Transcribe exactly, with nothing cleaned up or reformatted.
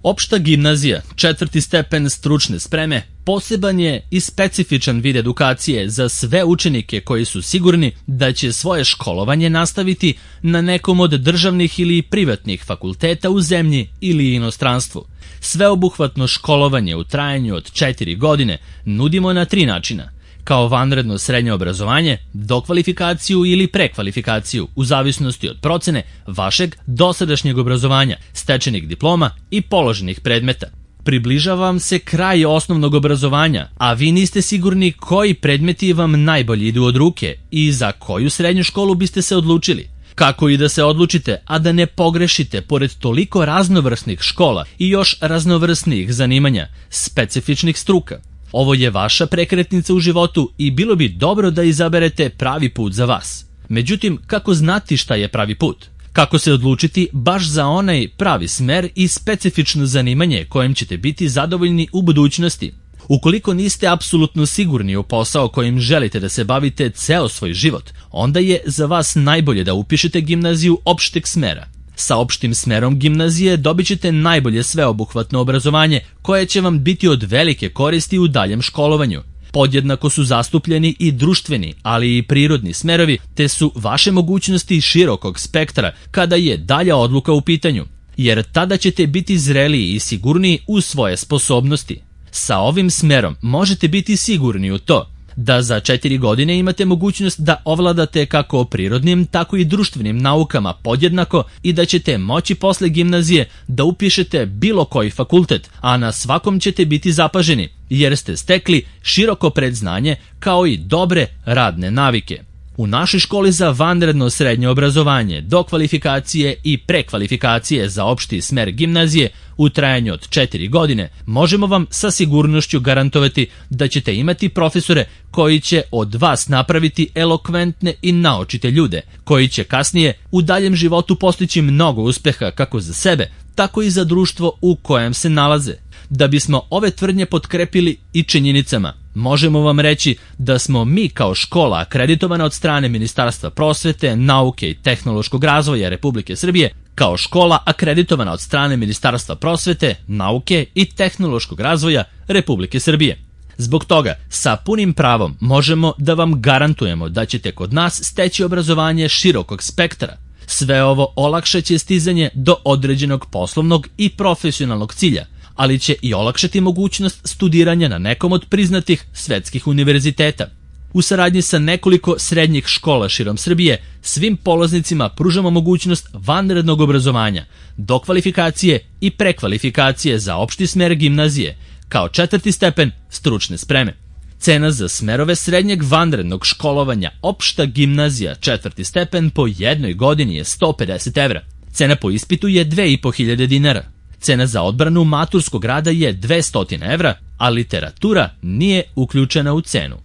Opšta gimnazija, četvrti stepen stručne spreme, poseban je i specifičan vid edukacije za sve učenike koji su sigurni da će svoje školovanje nastaviti na nekom od državnih ili privatnih fakulteta u zemlji ili inostranstvu. Sveobuhvatno školovanje u trajanju od četiri godine nudimo na tri načina: kao vanredno srednje obrazovanje, dokvalifikaciju ili prekvalifikaciju, u zavisnosti od procene vašeg dosadašnjeg obrazovanja, stečenih diploma i položenih predmeta. Približava vam se kraj osnovnog obrazovanja, a vi niste sigurni koji predmeti vam najbolje idu od ruke i za koju srednju školu biste se odlučili. Kako i da se odlučite, a da ne pogrešite pored toliko raznovrsnih škola i još raznovrsnih zanimanja, specifičnih struka? Ovo je vaša prekretnica u životu i bilo bi dobro da izaberete pravi put za vas. Međutim, kako znati šta je pravi put? Kako se odlučiti baš za onaj pravi smer i specifično zanimanje kojem ćete biti zadovoljni u budućnosti? Ukoliko niste apsolutno sigurni u posao kojim želite da se bavite ceo svoj život, onda je za vas najbolje da upišete gimnaziju opšteg smera. Sa opštim smerom gimnazije dobit ćete najbolje sveobuhvatno obrazovanje koje će vam biti od velike koristi u daljem školovanju. Podjednako su zastupljeni i društveni, ali i prirodni smerovi, te su vaše mogućnosti širokog spektra kada je dalja odluka u pitanju, jer tada ćete biti zreliji i sigurniji u svoje sposobnosti. Sa ovim smerom možete biti sigurni u to da za četiri godine imate mogućnost da ovladate kako prirodnim, tako i društvenim naukama podjednako i da ćete moći posle gimnazije da upišete bilo koji fakultet, a na svakom ćete biti zapaženi, jer ste stekli široko predznanje kao i dobre radne navike. U našoj školi za vanredno srednje obrazovanje, dokvalifikacije i prekvalifikacije za opšti smer gimnazije u trajanju od četiri godine možemo vam sa sigurnošću garantovati da ćete imati profesore koji će od vas napraviti elokventne i naočite ljude, koji će kasnije u daljem životu postići mnogo uspeha kako za sebe, tako i za društvo u kojem se nalaze. Da bismo ove tvrdnje potkrepili i činjenicama, možemo vam reći da smo mi kao škola akreditovana od strane Ministarstva prosvete, nauke i tehnološkog razvoja Republike Srbije, kao škola akreditovana od strane Ministarstva prosvete, nauke i tehnološkog razvoja Republike Srbije. Zbog toga, sa punim pravom možemo da vam garantujemo da ćete kod nas steći obrazovanje širokog spektra. Sve ovo olakšaće stizanje do određenog poslovnog i profesionalnog cilja, ali će i olakšati mogućnost studiranja na nekom od priznatih svetskih univerziteta. U saradnji sa nekoliko srednjih škola širom Srbije, svim polaznicima pružamo mogućnost vanrednog obrazovanja, dokvalifikacije i prekvalifikacije za opšti smer gimnazije, kao četvrti stepen stručne spreme. Cena za smerove srednjeg vanrednog školovanja opšta gimnazija četvrti stepen po jednoj godini je sto pedeset evra. Cena po ispitu je dve i po hiljade dinara. Cena za odbranu maturskog rada je dvesta evra, a literatura nije uključena u cenu.